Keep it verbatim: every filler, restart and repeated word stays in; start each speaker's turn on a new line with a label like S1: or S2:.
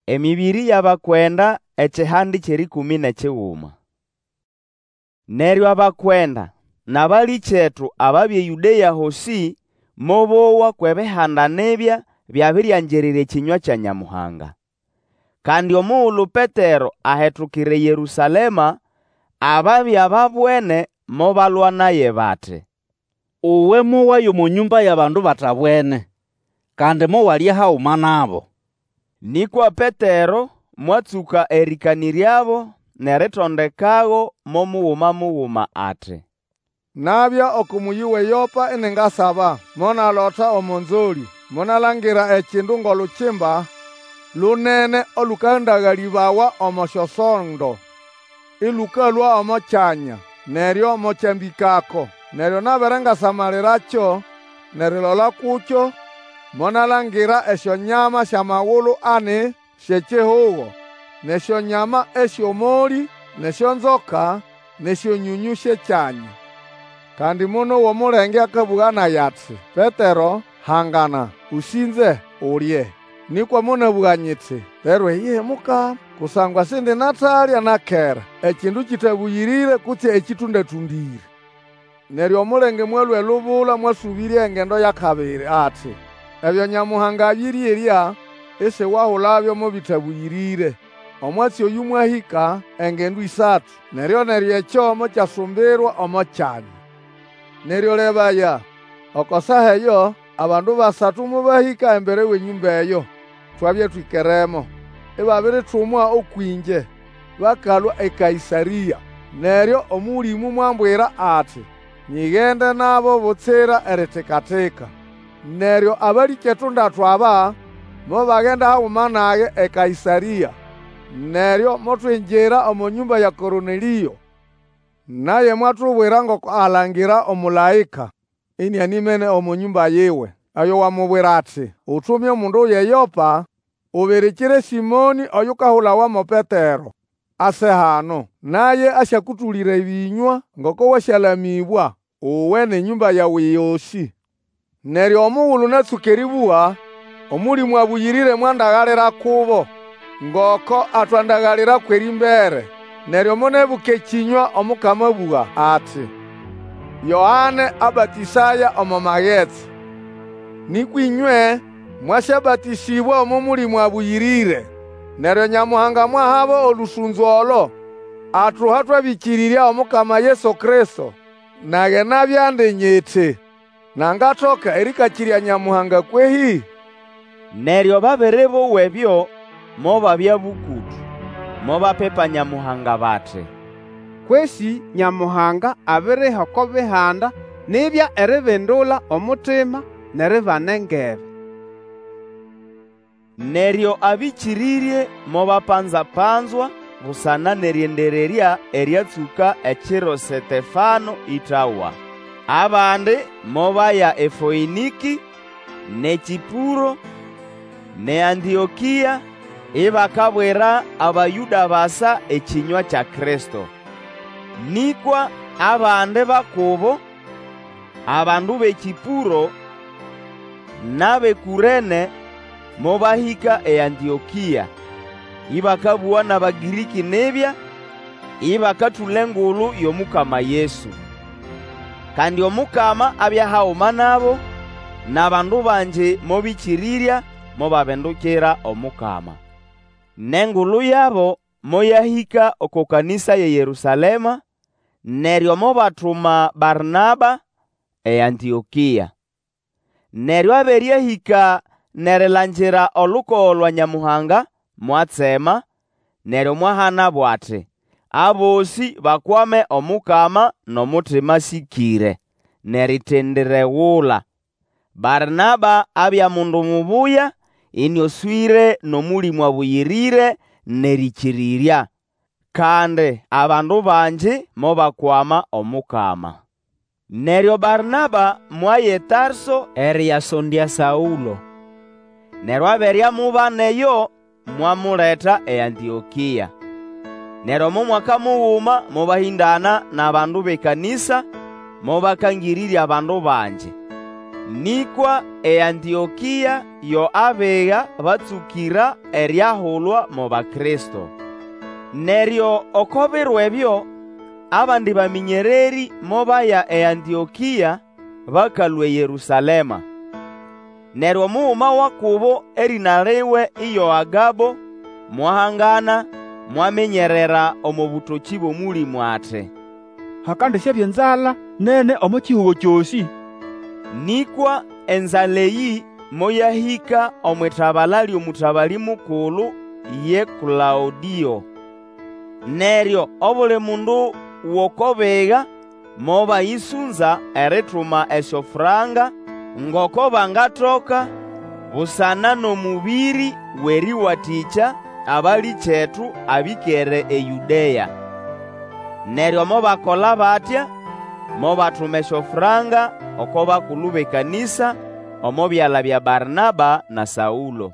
S1: Emĩbĩrĩ y'Abakwenda ekihandi ky'erĩkũmĩ n'ekiguma. Neryo abakwenda n'abalĩkyetu ababya eYũdea hosĩ mobowa kw'Ebihanda nibya byabiriangirira ekĩnywa kya Nyamuhanga. Kandi omugulu Petero ahetukira eYerũsalema, ababya babwene mobalwa naye bati,
S2: Uwe mowaya omo nyũmba y'abandu batabwene, kandi mowalya haguma nabo.
S1: Nĩkwa Petero mwatsũka erĩkanĩryabo n'eritondekago mo muguma muguma ati,
S3: Nabya oko mũyĩ w'eYopa iningasaba, monalota omo nzolĩ, monalangira ekindu ng'olukimba lunene olũkandagalĩbawa omo syosondo, ĩlũkalũa omo kyanya, neryo mokyambĩkako. Neryo nabere ngasamalirakyo n'erilola kukyo, monalangira esyonyama sy'amagulu ani sy'ekihugo, n'esyonyama esy'omolĩ, n'esyonzoka, n'esyonyonyũ sy'ekyanya. Kandi monowa omulenge akabũga nage ati, Petero, hangana, Ũsĩnze, ulye. Nĩkwa monabũga nyiti, Lero iyihi, Mukama, kusangwa sindinatalya na kera ekindu kĩtabũyĩrĩre kutse ekĩtũndatũndĩre. Neryo omulenge mwalũa elubula mwasũbĩrya engendo y'akabiri ati, Ebyo Nyamuhanga abĩrĩerya, isiwahulabyo mo bĩtabũyĩrĩre. Omwatsi oyũ mwahĩka engendo ĩsatu, neryo-neryo ekyo mokyasumbirwa omo kyanya. Neryo lebaya, oko saa eyo abandu basatu mobahĩka embere w'enyũmba eyo twabya twĩkeremo, ibabiritumwa ũkw'ĩngye, bakalũa eKaĩsarĩa. Neryo Omũlĩmũ mwambwira ati, nyigende nabo butsira eritika-tika. Neryo abalĩkyetu ndatu aba mobagenda haguma nage eKaĩsarĩa. Neryo motwingira omo nyũmba ya Kornelĩo. Naye mwatubwira ngoko alangira omũlaĩka, inianimene omo nyũmba yiwe, oyo wamubwira ati, Utume omundu eYopa, ubirikire Sĩmonĩ oyukahulawa mo Petero, ase hano. Naye asyakũtũlĩra ebĩnywa ngoko wasyalamĩbwa, uwe n'enyũmba yawe yosĩ. Neryo omugulu natsũka erĩbũga, Omũlĩmũ Abũyĩrĩre mwandagalira kubo, ngoko atwandagalira kw'erĩmbere. Neryo monebuka ekĩnywa Omukama abũga ati, Yoane abatĩsaya omo magetsi, nĩkwa ĩnywe mwasyabatĩsĩbwa omo Mũlĩmũ Abũyĩrĩre. Neryo Nyamuhanga mwahabo olũsũnzo olo atuha twabĩkĩrĩrya Omukama Yesu Kristo. Nage nabya ndi nyiti, Nangatoka erĩkakĩrya Nyamuhanga kwehĩ?
S1: Neryo babere bowa ebyo, mobabya bũkũtũ, mobapipa Nyamuhanga bati,
S4: Kwesĩ Nyamuhanga abiriha oko Bihanda nibya eribindula omutima n'eribana engebe.
S1: Neryo abĩkĩrĩrye mobapanza-panzwa busana n'erĩendererya eryatsũka ekiro Setefano ĩtawa. Abandi mobaya eFoĩnĩkĩ, n'eKĩpũro, n'eAntĩokĩa, ibakabwira Abayũda basa ekĩnywa kya Kristo. Nĩkwa abandi ba kubo, abandu b'eKĩpũro n'ab'eKũrene, mobahĩka eAntĩokĩa, ĩbakabũga n'Abagĩrĩkĩ nibya, ibakatũla engulu y'Omukama Yesu. Kandi Omukama abya haguma nabo, n'abandu bangi mobĩkĩrĩrya mobabindukira Omukama. N'engulu yabo moyahĩka oko kanĩsa y'eYerũsalema, neryo mobatuma Barnaba eAntĩokĩa. Neryo abere ahĩka n'erilangira olukogo lwa Nyamuhanga, mwatsema, neryo mwahanabo ati, abosĩ bakwame Omukama n'omutima asĩkĩre, n'eritendiregula. Barnaba abya mundu mubuya, ĩnĩoswĩre n'Omũlĩmũ Abũyĩrĩre n'erĩkĩrĩrya. Kandi abandu bangi mobakwama Omukama. Neryo Barnaba mwaya eTarso eriyasondya Saũlo. Neryo abere amubana eyo, mwamuleta eAntĩokĩa. Neryo omo mwaka muguma mobahĩndana n'abandu b'ekanĩsa, mobakangĩrĩrya abandu bangi. Nĩkwa eAntĩokĩa yo abiga batsũkĩra eriahulwa mo Bakristo. Neryo oko biro ebyo, abandi bamĩnyererĩ mobaya eAntĩokĩa bakalũa eYerũsalema. Neryo omuguma wa kubo erĩna liwe iyo Agabo, mwahangana, mwaminyerera omo bũtokĩ bw'Omũlĩmũ ati,
S5: Hakandisyabya enzala nene omo kihugo kyosĩ.
S1: Nĩkwa enzala eyĩ moyahĩka omw'itabala ly'omũtabalĩ mukulu ye Klaũdĩo. Neryo obuli mundu w'oko biga mobayĩsũnza erituma esyofranka ngoko bangatoka, busana n'omũbĩrĩ w'erĩwatĩkya abalĩkyetu abĩkere eYũdea. Neryo mobakola batya, mobatuma esyofranka oko bakulu b'ekanĩsa omo byala bya Barnaba na Saũlo.